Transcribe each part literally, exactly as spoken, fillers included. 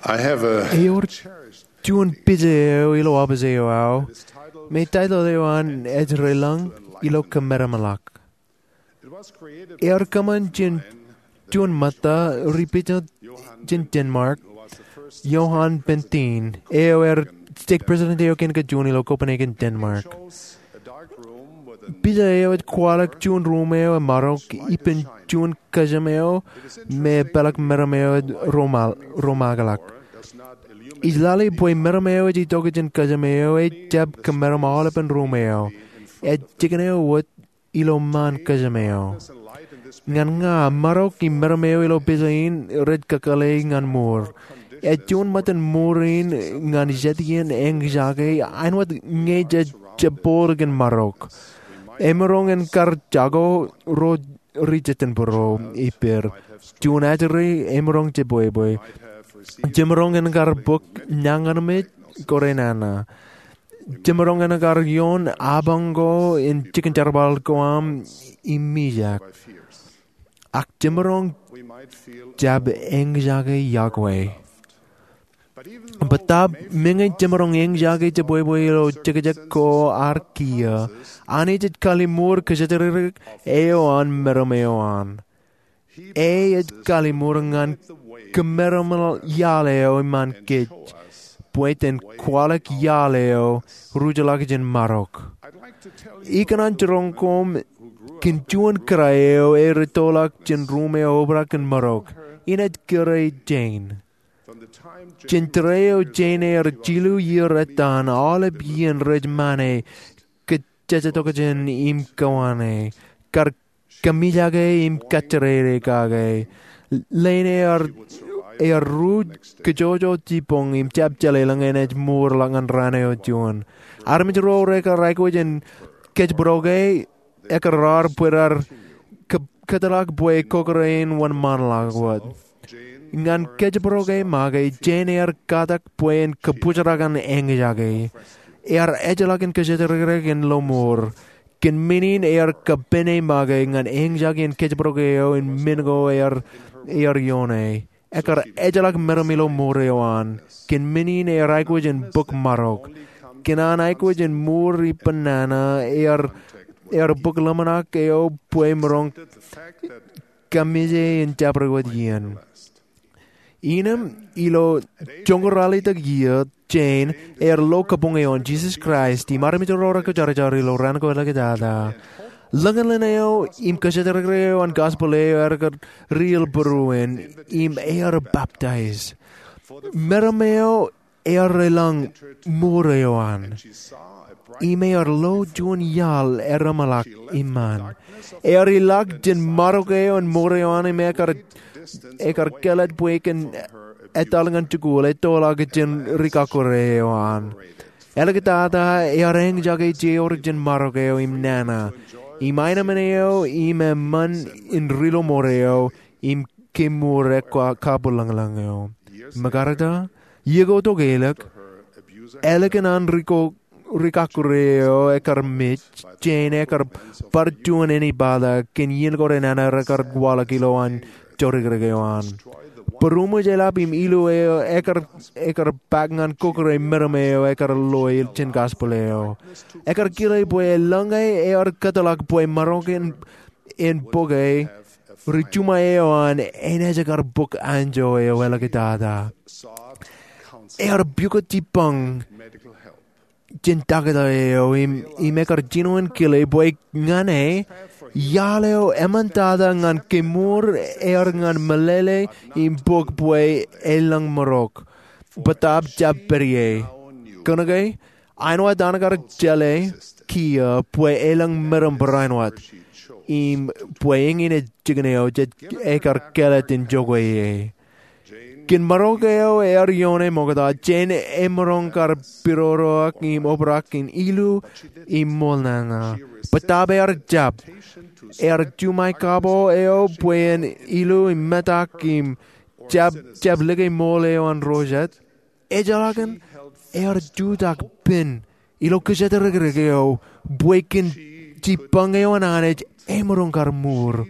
I have a Ewōr juon pija eo ilo opiij eo aō me taitōḷ eo an Ej Relōñ ilo Kōmeramḷọk. Ear kōṃṃan jān juon ṃōtta ri pija jān Denmark, Johan Benthin, eo ear stake president eo kein kajjojo ilo Copenhagen, Denmark. Pija eo ej kwaḷọk juon ruum eo emaroñ ippān juon kōjām eo me epeḷḷọk meram eo ej romaakḷọk. Ij lale bwe meram eo ej itok jān kōjām eo ejjab kōmeram aolepān ruum eo. Ej jikin eo wōt ilo ṃaan kōjām eo. Ñan ña, maroñ im meram eo ilo pija in rej kakōḷḷe ñan mour. Ej juon ṃōttan mour in ñan jet iien eñjake āinwōt ñe jej jab bōd kōn maroñ. Emaroñ en kar jako ro ri jejin būruō ippād. Juon ajri emaroñ jebwebwe. Jemaroñ en kar bōk nañinmej kōrā nana. Jemaroñ en kar ioon apañ ko im jikin jerbal ko aṃ im mijak. Ak jemaroñ jab eñjake iọkwe. Bōtaab meñe jemaroñ eñjake jebwebwe ilo jekjek ko ad kiiō, Anij ej kallimur kōjatdikdik eo an meram eo an. E ej kallimur ñan kōmeram iaḷ eo iṃaan kōj bwe jen kwaḷọk iaḷ eo rujḷọk jān maroñ. Ikōṇaan jiroñ koṃ kōn juon kōrā eo erettoḷọk jān ruum eo obrak kōn maroñ. Innem ej kōrā Jane. Jān tōre eo Jane ear jilu iiō ettan, aolep iien rej ṃane, kōjjatokjān im kōwaan e, kar kōmijake im kajjirere kake. Leen ear, ear ruj kōjojot jibboñ im jab jeḷā ḷọk enaaj mour ḷọk ñan raan eo juon. Armej ro rekar aikuj in kōjbōdoke, ekar raar bwe raar kō-, kōtḷọk bwe kokōrā in wōnṃaanḷọk wōt. Ñan kōjbōdoke make, Jane ear katak bwe en kōbōjrak ñan eñjake. Ear ejjeḷọk in kōjatdikdik in lo mour. Kōn men in ear kōpene make ñan eñjake in kōjbōdoke eo im men ko ear, ear ioone. Ekar ejjeḷọk meram ilo mour eo an. Kōn men in ear aikuj in bōk maroñ. Kōn an aikuj in mour ippān nana ear, ear bōk ḷōmṇak eo bwe emaroñ kōmije in jabdewōt iien. Innem ilo joñoul ralitōk iiō, Jane ear lo kabuñ eo an Jesus Christ im armej ro rekajjorjor ilo raan ko ḷọkjetak. Ḷōñin ḷein eo im kōjatdikdik eo an gospel eo ear kar riil būruon im ear baptize. Meram eo ear elōñ mour eo an. Im ear lo juon iaḷ ereṃḷọk iṃaan. Ear ilọk jān maroñ eo an mour eo an im ekar, ekar kālet bwe ekōn etal ñan jikuuḷ ettoḷọk jān ri kọkkure eo an. Āliktata ear eñjake jeor jān maroñ eo im nana. Im aenōṃṃan eo im eṃṃan in ri-lọmọọr eo im kemour ekkabuḷōñlōñ eo. Mekarta, iiō ko tok ālik, ālikin an ri ko, ri kọkkure eo ekar mej, Jane ekar bar juon ānbata kōn iien ko renana rekar kwaḷọk ilowaan jodikdik eo an. Būruṃōj eḷap im ilu eo ekar, ekar bōk ñan kọkkure meram eo ekar lo jān gospel eo. Ekar kile bwe eḷaññe ear kōtḷọk bwe maroñ in, in bōke, ri juṃae eo an enaaj kar bōk anjọ eo āliktata. Ear pukot jibboñ jān taktō eo im, im ekar jino in kile bwe ñan e, iaḷ eo eṃṃantata ñan kemour ear ñan meḷeḷe im bōk bwe elōñ maroñ. Bōtaab jab pād ie. Kōnke, āinwōt an kar jeḷā kiiō bwe elōñ meram barāinwōt. Im bwe eñin ej jikin eo jej, ekar kālet in jokwe ie. Kōn maroñ eo ear ioone ṃokta, Jane emaroñ kar pidodoak im obrak in ilu im ṃool nana. Bōtaab ear jab. Ear juṃae kabo eo bwe en ilu im metak im jab, jab lōke ṃool eo an ro jet. Ejjeḷọkin ear jutak pen ilo kōjatdikdik eo bwe kōn jibboñ eo an Anij emaroñ kar mour.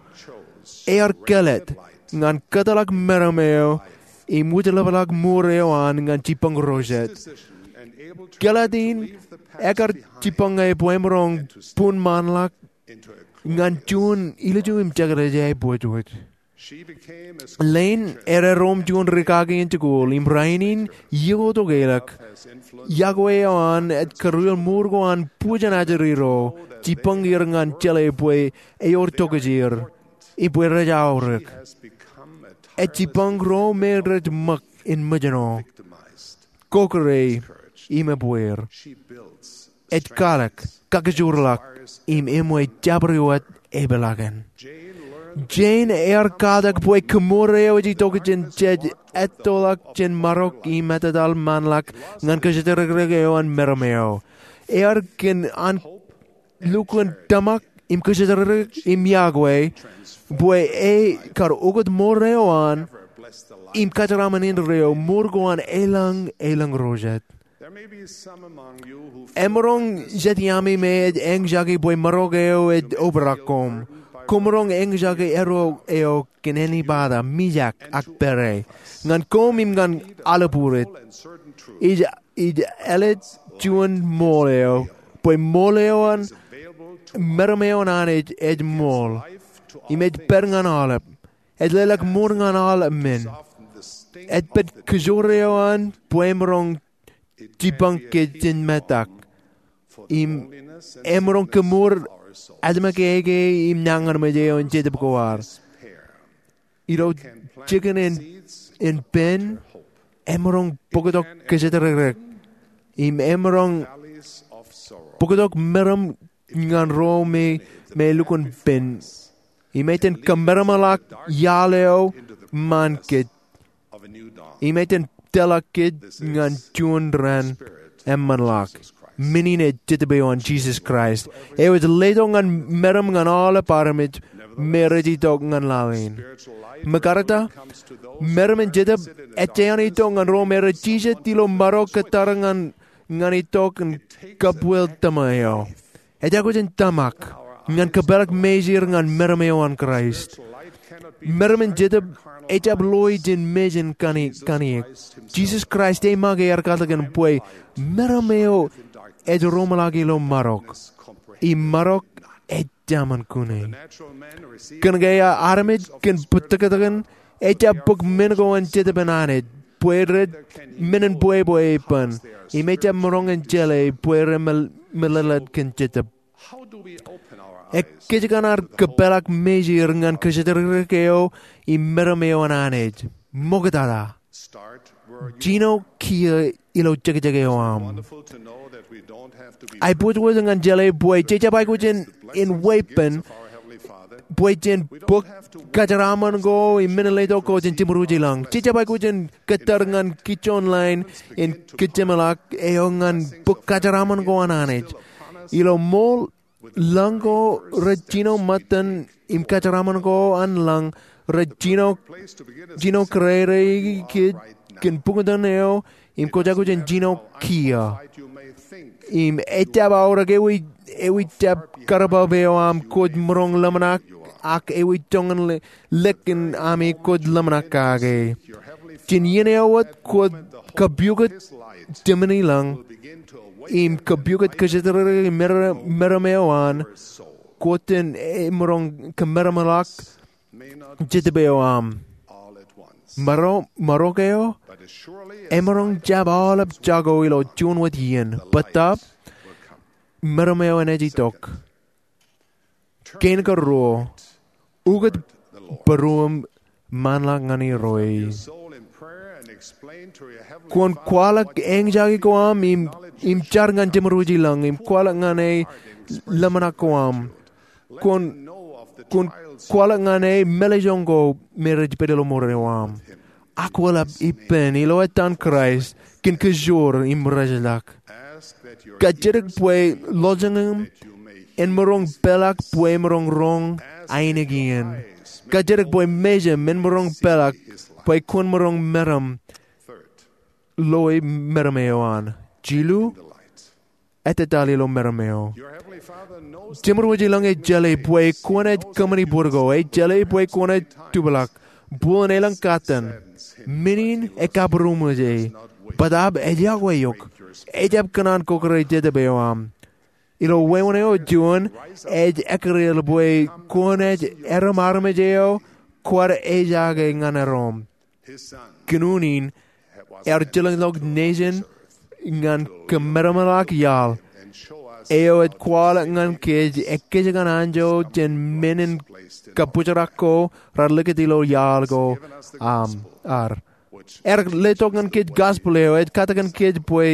Ear kālet ñan kōtḷọk meram eo im wūjlepḷọk mour eo an ñan jibboñ ro jet. Kōḷāt in ekar jibboñ ñe bwe emaroñ bun ṃaanḷọk ñan juon ilju im jekdọọj aebwōjwōj. Lane ear erom juon rikaki in jikuuḷ im rainin iiō tok eḷak. Yokwe eo an ej kūrjeel mour ko an bwijin ajri ro, jibboñ er ñan jeḷā bwe ewōr tokjāer im bwe rej aorōk. Ej jibboñ ro me rej ṃōk in mejno, kōkōrā im ebbeer. Ej kwaḷọk, kakijoorḷọk, im eṃōj jabdewōt epeḷaakin. Jane ear katak bwe kōmour eo ej itok jān jej ettoḷọk jān marok im ettōtaḷ ṃaanḷọk ñan kōjatdikdik eo an meram eo. Ear kōn an lukkuun tōmak im kōjatdikdik im yokwe bwe e kar ukōt mour eo an im kōjeraṃṃan indeeo mour ko an elōñ elōñ ro jet. Emaroñ jet iaami me ej eñjake bwe marok eo ej obrak koṃ. Koṃ maroñ eñjake erro eo kōn ānbata, mijak ak pere ñan koṃ im ñan aḷap ure. Ij, ij ālij juon ṃool eo bwe ṃool eo an meram eo an Anij ej ṃool im ej pād ñan aolep. Ej leḷọk mour ñan aolep men. Ej pād kōjro eo an bwe emaroñ jibboñ kōj jān metak im emaroñ kōmour ālmōk āke im nañinmej eo in Jetōb ko ad. Ilo jikin in, in pen, emaroñ bōktok kōjatdikdik im emaroñ bōktok meram ñan ro me, me lukkuun pen. Im ej iten kōmeramḷọk iaḷ eo ṃaan kōj. Im ej iten tōlḷọk kōj ñan juon raan eṃṃanḷọk. Men in ej Jetōb eo an Jisōs Kraist eo ej letok ñan meram ñan aolep armej me rej itok ñan laḷ in. Ṃōkatak, meram in Jetōb ej āinwōt itok ñan ro me rej jijet ilo marok kōttar ñan, ñan itok in kabwil tōma eo. Ej aikuj in tōmak ñan kōpeḷḷọk mejān ñan meram eo an Kraist. Meram in Jetōb ejjab loi jān mejān kani, kaniōk. Jisōs Kraist ej make ear katakin bwe meram eo ej roñḷọk ilo marok. Im marok ej taṃaṃ kune. Kōn ke armej kōn bōtōktōkin ejjab bōk men ko an Jetōb in Anij bwe rej men in bwebwe ippān. Im ejjab maroñ in jeḷā bwe rej me, meḷeḷe kōn Jetōb. Ekkein kōn ad kōpeḷḷọk mejān ñan kōjatdikdik eo im meram eo an Anij. Ṃoktata. Jino kiiō ilo jekjek eo aṃ. Aebwōjwōj ñan jeḷā bwe jejjab aikuj in, in weeppān bwe jen bōk kōjeraaṃṃan ko im men in letok ko jān Jemedwōj ilañ. Jejjab aikuj in kōttar ñan kijoon line in kōjjeṃḷọk eo ñan bōk kōjeraaṃṃan ko an Anij. Ilo ṃool lañ ko rej jino ṃōttan im kōjeraaṃṃan ko an lañ rej jino, jino kōrā kōj kōn buñtōn eo im kwōj aikuj in jino kiiō. Im ejjab aorōk ewi, ewi jab kar bab eo aṃ kwōj maroñ ḷōmṇak ak ewi joñan le, lōñ in ami kwōj ḷōmṇak kake. Jān iien eo wōt kwōj kapiokūt jemān ilañ im kapiokūt kōjatdikdik meram, meram eo an, kwōj jen emaroñ kōmeramḷọk Jetōb eo aṃ. Maro, marok eo emaroñ jab aolep jako ilo juon wōt iien. Bōtaab, meram eo an ej itok. Kein karuo, ukōt būruōṃ ṃaanḷọk ñan Irooj. Kwōn kwaḷọk eñjake ko aṃ im, im jar ñan Jemedwōj ilañ im kwaḷọk ñan e ḷōmṇak ko aṃ. Kwōn, kwōn kwaḷọk ñan e meḷejoñ ko me rej pād ilo mour eo aṃ. Akweḷap ippān ilo ettaan Kraist kōn kōjoor im rejeḷọk. Kajjitōk bwe lọjilñiṃ en maroñ peḷḷọk bwe emaroñ roñ ainikien. Kajjitōk bwe mejaṃ en maroñ peḷḷọk bwe kwōn maroñ meram, loi meram eo an. Jilu, ettōtaḷ ilo meram eo. Jemedwōj ilañ ej jeḷā bwe kwōnaaj kōṃṃani bōd ko. Ej jeḷā bwe kwōnaaj tupḷọk. Bōlen elōñ kōttan. Men in ekabbūroṃōj e, bōtaab ej yokwe eok. Ejjab kōṇaan kōkōrā jetōb eo aṃ. Ilo wāween eo juon, ej ekkar bwe kwōnaaj erom armej eo kwaar ejaake ñan erom. Kōn unin, ear jilkinḷọk nejin ñan kōmeramḷọk iaḷ eo ej kwaḷọk ñan kōj ekkejkan anjọ jān men in kabōjrak ko raar likūt ilo iaḷ ko aṃ, ad. Ear letok ñan kōj gospel eo ej katakin kōj bwe,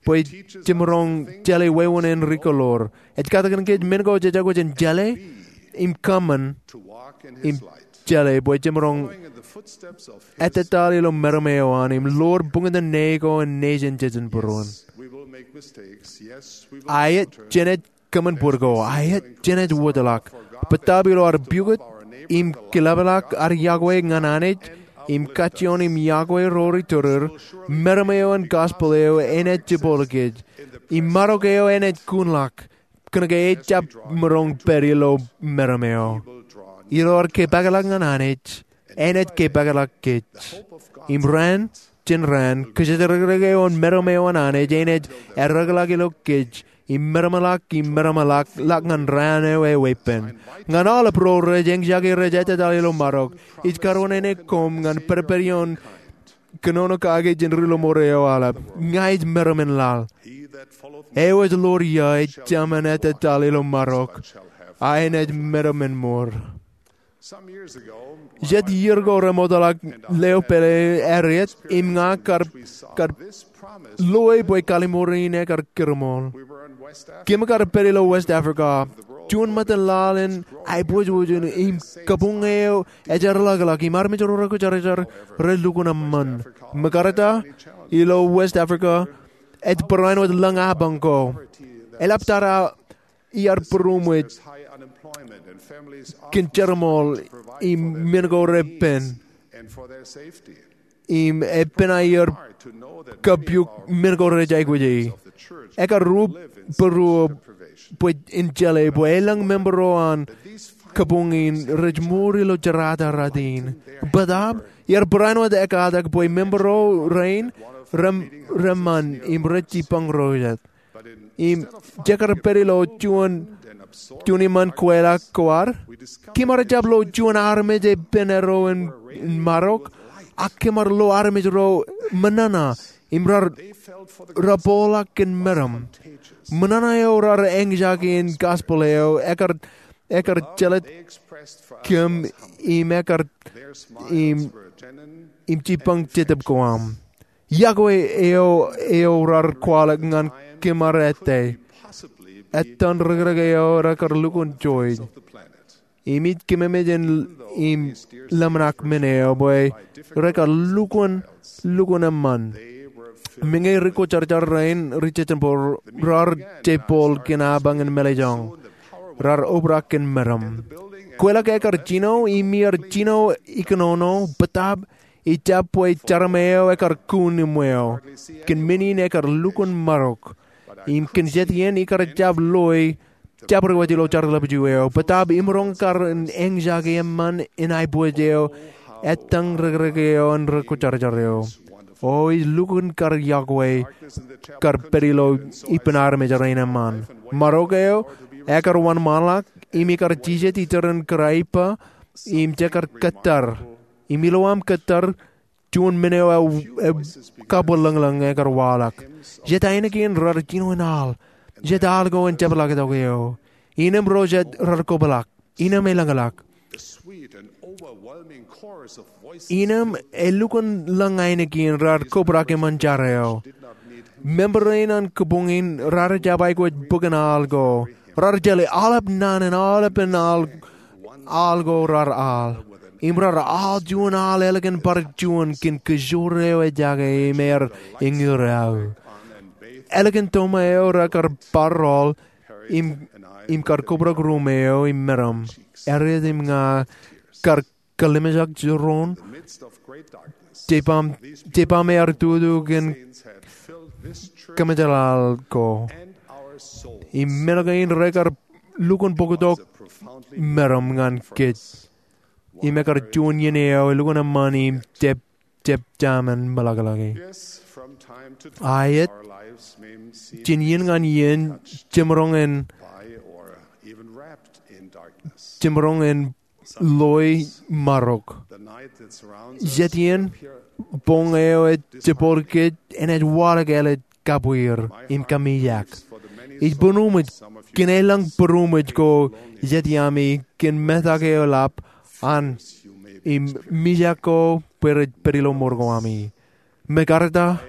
bwe jemaroñ jeḷā wāween in rikoḷoor. Ej katakin kōj men ko jej aikuj in jeḷā im kōṃṃan im jeḷā bwe jemaroñ ettōttaḷ ilo meram eo an im ḷoor buñtōn ne ko in nejin jejin būruon. Aet, jenaaj kōṃṃan bōd ko. Aet, jenaaj wōjḷọk. Bōtaab ilo ad pukot im kilapḷọk ad yokwe ñan Anij im kajjioñ im yokwe ro ri tōrōr, meram eo an gospel eo enaaj jibboḷ kōj. Im marok eo enaaj kunḷọk. Kōnke ejjab maroñ pād ilo meram eo. Ilo ad kepakḷọk ñan Anij, enaaj kepakḷọk kōj. Im raan jān raan, kōjatdikdik eo an meram eo an Anij enaaj eddekḷọk ilo kōj im meramḷọk im meramḷọk ḷọk ñan raan eo eweeppān. Ñan aolep ro rej eñjake rej ettōttaḷ ilo marok, ij karuwaineneik koṃ ñan pedped ioon kōnono kake jān ri ḷōṃaro eo aolep. Ña ij meram in laḷ. Eo ej ḷoor ia ej jemān ettōttaḷ ilo marok, a enaaj meram in mour. Jet iier ko remootḷọk leo pālle Harriet im ña kar, kar loe bwe kallimur in ekar kūrṃool. Kōm kar pād ilo West Africa. Juon ṃōttan laḷ in aiboojoj im kabuñ eo ej eddekḷọk im armej ro rekujarjar relukkuun eṃṃan. Ṃōkarta ilo West Africa ej barāinwōt lōñ apañ ko. Eḷaptata iar būroṃōj kōn jerbal im men ko repen im epen aer kapiuk men ko rej aikuji. Ekar rup būruō bwe in jeḷā bwe elōñ member ro an kabuñ in rej mour ilo jerata rot in. Bōtaab iar barāinwōt ekatak bwe member ro rein reṃṃan im rej jibboñ ro jet. Im jekar pād ilo juon, juon iṃaan kweilọk ko ad, kōm ar jab lo juon armej epen eddo in, in marok, ak kōm ar lo armej ro ṃōṇōṇō im raar, raar bōkḷọk kōn meram. Ṃōṇōṇō eo raar eñjake in gospel eo ekar, ekar jelōt kōm im ekar, im, im jibboñ jetōb ko aṃ. Yokwe eo, eo raar kwaḷọk ñan kōm ad ettā. Ettan rikirek eo rekar lukkuun joij. Im ij kememej in im ḷōmṇak men eo bwe rekar lukkuun, lukkuun eṃṃan. Meñe rikujarjar rein ri jejinbōd raar jeiboḷ kōn apañ in mālejjoñ. Raar obrak kōn meram. Kweilọk ekar jino im iar jino ikōnono bōtaab ijjab bwe jarmā eo ekar kūn iṃweo. Kōn men in ekar lukkuun marok. Im kōn jet iien ikar jab loe jabdewōt ilo jar ḷapju eo. Bōtaab imaroñ kar in eñjake eṃṃan in aiboojoj eo. Ettan rikirek eo an rikujarjar eo. O ij lukkuun kar yokwe kar pād ilo ippān armej rein eṃṃan. Marok eo ekar wōnṃaanḷọk im ikar jijet iturin kōrā ippa im jekar kōttar. Im ilo aṃ kōttar juon men eo ej, ej kabwilōñlōñ ekar waḷọk. Jet ainikien raar jino in al. Jet al ko en jepḷaaktok eo. Innem ro jet raar kobrak. Innem elōñḷọk. Innem elukkuun lōñ ainikien raar kobrak eṃṃan jar eo. Member rein an kabuñ in raar jab aikuj bōk in al ko. Raar jeḷā aolep naan in aolepen al, al ko raar al. Im raar al juon al ālikin bar juon kōn kōjoor eo ejjake im ear eñin aō. Ālikin toṃa eo rekar bar rọọl im, im kar kobrak ruṃ eo im meram. Harriet im ña kar kallimjek jiroñ. Jeibaṃ, jeibaṃ ear tutu kōn kōmeḷeḷe ko. Im men kein rekar lukkuun bōktok meram ñan kōj. Im ekar juon iien eo elukkuun eṃṃan im jab jab ta men meḷọkḷọke. Aet, jān iien ñan iien, jemaroñ in, jemaroñ in loi marok. Jet iien, boñ eo ej jepor kōj enaaj waḷọk āliktata kabwier im kamijak. Ij būruṃōj kōn elōñ būruṃōj ko jet iaami kōn metak eo eḷap an im mijak ko bwe rej pād ilo mour ko ami. Mekarta,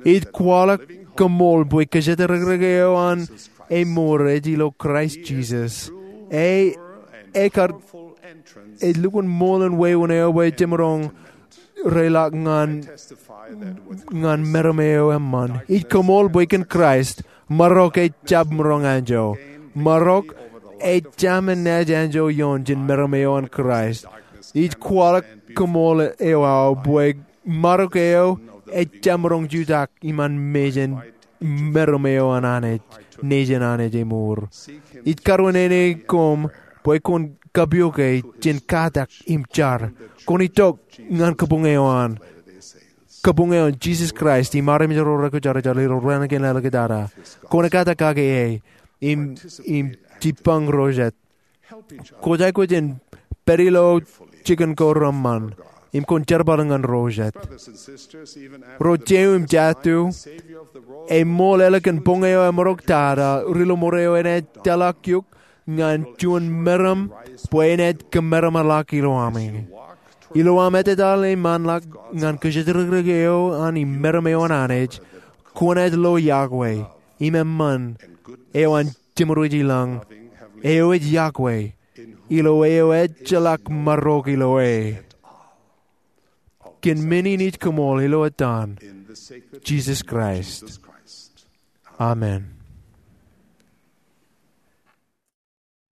ij kwaḷọk kōṃṃool bwe kōjatdikdik eo an emour ej ilo Kraist Jisōs. Ej, ej kar, ej lukkuun ṃool in wāween eo bwe jemaroñ reiḷọk ñan, ñan meram eo eṃṃan. Ij kōṃṃool bwe kōn Kraist, marok ej jab maroñ anjọ. Marok ej ta men naaj anjọ ioon jān meram eo an Kraist. Ij kwaḷọk kōṃṃool eo aō bwe marok eo ej jab maroñ jutak iṃaan mejān meram eo an Anij, nejin Anij emour. Ij karuwainene koṃ bwe kwōn kapijuke jān katak im jar. Kwōn itok ñan kabuñ eo an, kabuñ eo an Jisōs Kraist im armej ro rekwojarjar ilo raan kein āliktata. Kwōn ekkā kake e im, im jibbañ ro jet. Kwōj aikuj in pād ilo jikin ko reṃṃan im kwōn jerbal ñan ro jet. Ro jeiū im jatū, eṃool ālikin boñ eo emaroñ tata, ri-lọmọọr eo enaaj tōlḷọk eok ñan juon meram bwe enaaj kōmeramḷọk ilo ami. Ilo aṃ etetal im anḷọk ñan kōjatdikdik eo an im meram eo an Anij, kwōnaaj lo yokwe im eṃṃan eo an Jemedwōj ilañ, eo ej yokwe, ilo eo ejjeḷọk marok ilo e. Kōn men in ij kōṃṃool ilo etan Jisōs Kraist, amen.